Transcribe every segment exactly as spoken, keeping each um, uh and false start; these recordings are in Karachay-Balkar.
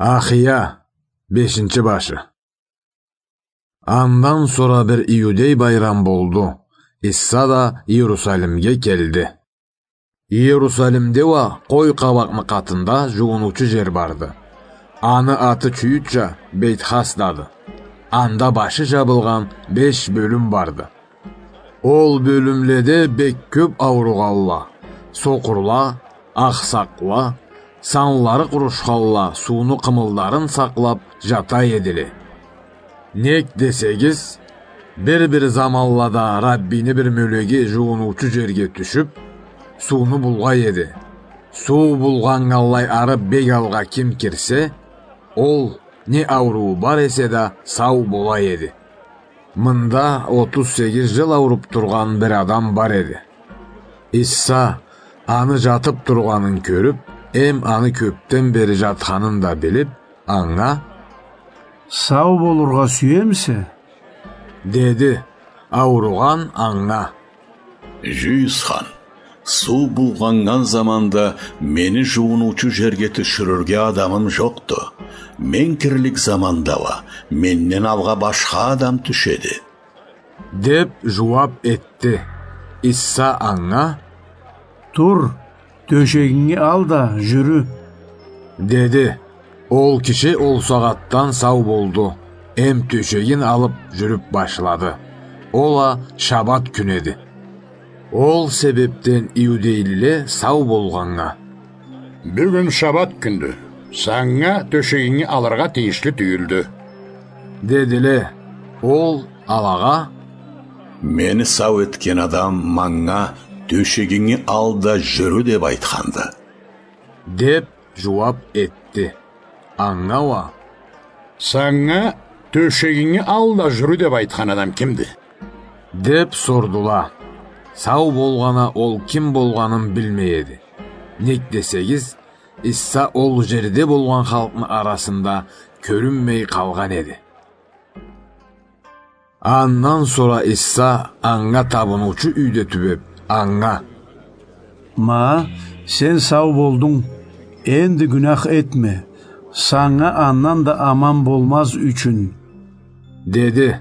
Ахия, бешинчи башы. Андан сора бир иудей байрам болду. Иса да Иерусалимге келди. Иерусалимде уа къой къабакъны къатында жууунучу жер барды. Аны аты чюйютча Бейтхасдады. Анда башы жабылгъан беш бёлюм барды. Ол бёлюмледе бек кёп ауругъанла, сокъурла, ахсакъла, санлары къурушханла сууну къымылдарын сакълап жата эдиле. Нек десегиз, бир-бир заманлада Раббини бир мёлеги жууунучу жерге тюшюп, сууну булгъай эди. Суу булгъаннганлай ары бек алгъа ким кирсе, ол, не ауруу бар эсе да, сау бола эди. Мында отуз сегиз жыл ауруп тургъан бир адам бар эди. Иса аны жатып тургъанын кёрюп, эм аны кёпден бери жатханын да билип, анга: «Сау болургъа сюемисе?» — деди. Ауругъан анга: «Жюйюсхан, суу булгъаннган заманда мени жууунучу жерге тюшюрюрге адамым жокъду. Мен кирлик заманда уа менден алгъа башха адам тюшеди», — деп жууап этди. Иса анга: «Тур, тёшегинги ал да жюрю», — деди. Ол киши ол сагъатдан сау болду, эм тёшегин алып жюрюп башлады. Ол а шабат кюн эди. Ол себепден иудейлиле сау болгъаннга: «Бюгюн шабат кюндю, санга тёшегинги алыргъа тийишли тюйюлдю», — дедиле. Ол алагъа: «Мени сау этген адам манга: „Тёшегинги ал да жюрю“, деп айтханды», — деп жууап этди. Анга уа: «Санга „Тёшегинги ал да жюрю“, деп айтхан адам кимди?» — деп сордула. Сау болгъан а ол ким болгъанын билмей эди. Нек десегиз, Иса ол жерде болгъан халкъны арасында кёрюнмей къалгъан эди. Андан сора Иса анга табынуучу юйде тюбеп, анга: «Ма, сен сау болдунг, энди гюнях этме, санга андан да аман болмаз ючюн», — деди.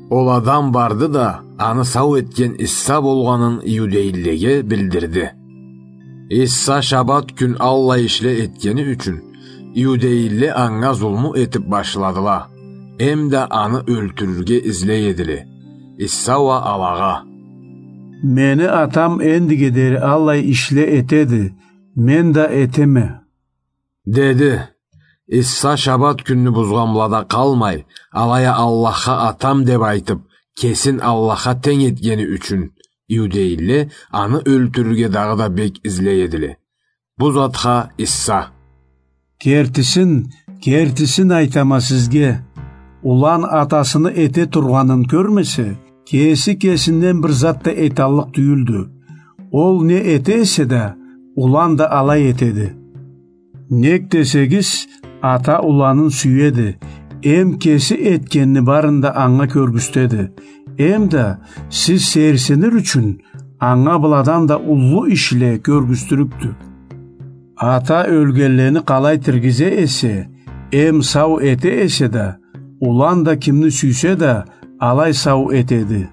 Ол адам барды да, аны сау этген Иса болгъанын иудейлилеге билдирди. Иса шабат кюн аллай ишле этгени ючюн, иудейлиле анга зулму этип башладыла, эм да аны ёлтюрюрге излей эдиле. Иса уа алагъа: «Мени Атам эндиге дери аллай ишле этеди, мен да этеме», — деди. Иса шабат кюнню бузгъанлада къалмай, алай а Аллахха Атам деп айтып, кесин Аллахха тенг этгени ючюн, иудейлиле аны ёлтюрюрге дагъыда бек излей эдиле. Бу затха Иса: «Кертисин, кертисин айтама сизге, улан атасыны эте тургъанын кёрмесе, кеси кесинден бир зат да эталлыкъ тюйюлдю. Ол не эте эсе да, улан да алай этеди. Нек десегиз, ата уланын сюеди, эм кеси этгенни барын да анга кёргюзтеди. Эм да сиз сейирсинир ючюн, анга быладан да уллу ишле кёргюзтюрюкдю. Ата ёлгенлени къалай тиргизе эсе, эм сау эте эсе да, улан да кимни сюйсе да, алай сау этеди.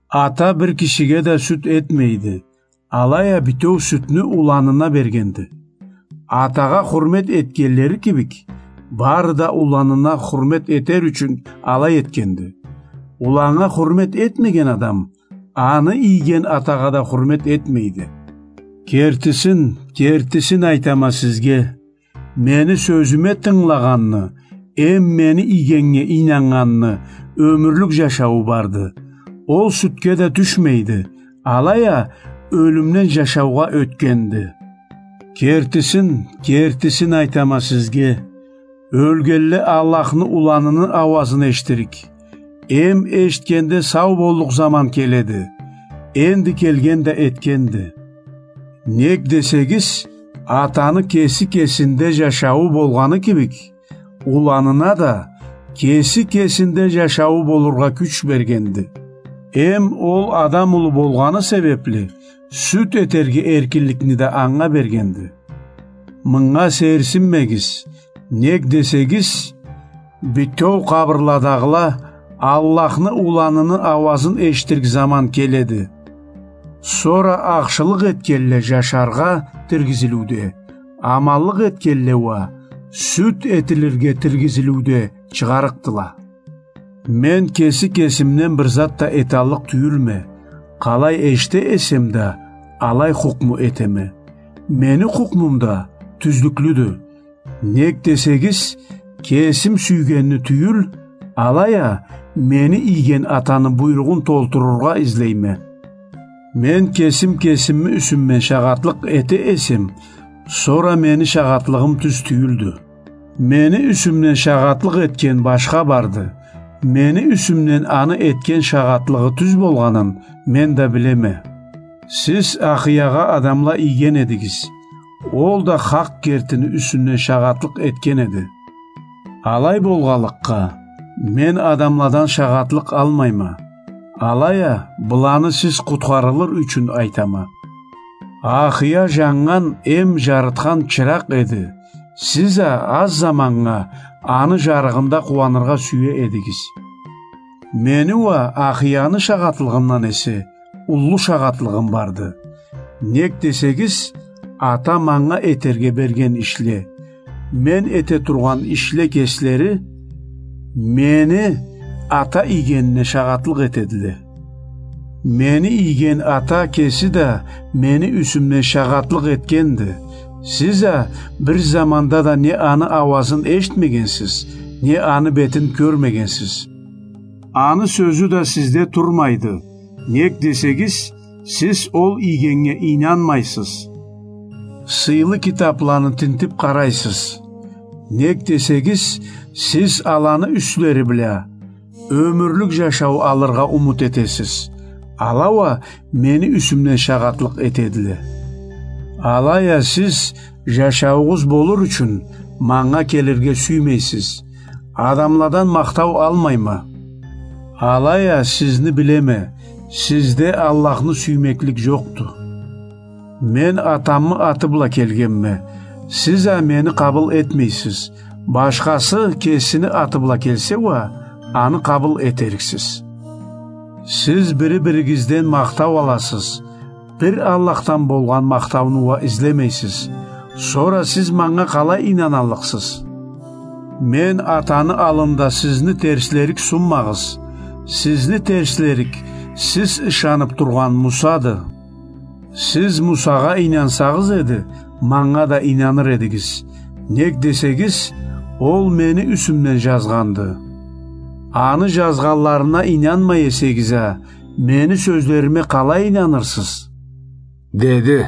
Ата бир кишиге да сюд этмейди, алай а бютеу сюдню уланына бергенди. Атагъа хурмет этгенлери кибик, бары да уланына хурмет этер ючюн алай этгенди. Уланнга хурмет этмеген адам аны ийген атагъа да хурмет этмейди. Кертисин, кертисин айтама сизге, мени сёзюме тынгылагъанны, эм мени ийгеннге ийнаннганны ёмюрлюк жашауу барды. Ол сюдге да тюшмейди, алай а ёлюмден жашаугъа ётгенди. Кертисин, кертисин айтама сизге, ёлгенле Аллахны уланыны ауазын эшитирик. Эм эшитгенде сау боллукъ заман келеди. Энди келген да этгенди. Нек десегиз, атаны кеси кесинде жашауу болгъаны кибик, уланына да кеси кесинде жашауу болургъа кюч бергенди. Эм ол адам улу болгъаны себепли, сюд этерге эркинликни да анга бергенди. Мынга сейирсинмегиз, Нек десегиз, бютеу къабырладагъыла Аллахны Уланыны ауазын эшитирик заман келеди. Сора ахшылыкъ этгенле жашаргъа тиргизилиуде, аманлыкъ этгенле уа сюд этилирге тиргизилиуде чыгъарыкъдыла. Мен кеси кесимден бир зат да эталлыкъ тюйюлме, къалай эшите эсем да, алай хукму этеме. Мени хукмум да тюзлюклюдю. Нек десегиз, кесим сюйгенни тюйюл, алай а мени ийген Атаны буйругъун толтурургъа излейме. Мен кесим кесими юсюмден шагъатлыкъ эте эсем, сора мени шагъатлыгъым тюз тюйюлдю. Мени юсюмден шагъатлыкъ этген башха барды. Мени юсюмден аны этген шагъатлыгъы тюз болгъанын мен да билеме. Сиз Ахиягъа адамла ийген эдигиз. Ол да хакъ кертини юсюнден шагъатлыкъ этген эди. Алай болгъанлыкъгъа, мен адамладан шагъатлыкъ алмайма. Алай а, быланы сиз къутхарылыр ючюн айтама. Ахия жаннган эм жарытхан чыракъ эди. Сиз а аз заманнга аны жарыгъында къууаныргъа сюе эдигиз. Мени уа Ахияны шагъатлыгъымдан эсе уллу шагъатлыгъым барды. Нек десегиз, Ата манга этерге берген ишле, мен эте тургъан ишле кеслери мени Ата ийгенине шагъатлыкъ этедиле. Мени ийген Ата кеси да мени юсюмден шагъатлыкъ этгенди. Сиз а бир заманда да не аны ауазын эшитмегенсиз, не аны бетин кёрмегенсиз. Аны сёзю да сизде турмайды. Нек десегиз, сиз ол ийгеннге ийнанмайсыз. Сыйлы китабланы тинтип къарайсыз. Нек десегиз, сиз аланы юслери бла ёмюрлюк жашау алыргъа умут этесиз. Ала уа мени юсюмден шагъатлыкъ этедиле. Алай а сиз жашауугъуз болур ючюн манга келирге сюймейсиз. Адамладан махтау алмайма. Алай а сизни билеме, сизде Аллахны сюймеклик жокъду. Мен Атамы аты бла келгенме, сиз а мени къабыл этмейсиз. Башхасы кесини аты бла келсе уа, аны къабыл этериксиз. Сиз бири-биригизден махтау аласыз. Бир Аллахдан болгъан махтауну уа излемейсиз. Сора сиз манга къалай ийнаннганлыкъсыз? Мен Атаны аллында сизни терслерик сунмагъыз. Сизни терслерик сиз ышанып тургъан Мусады. Сиз Мусагъа ийнансагъыз эди, манга да ийнаныр эдигиз. Нек десегиз, ол мени юсюмден жазгъанды. Аны жазгъанларына ийнанмай эсегиз а, мени сёзлериме къалай ийнанырсыз? Деди.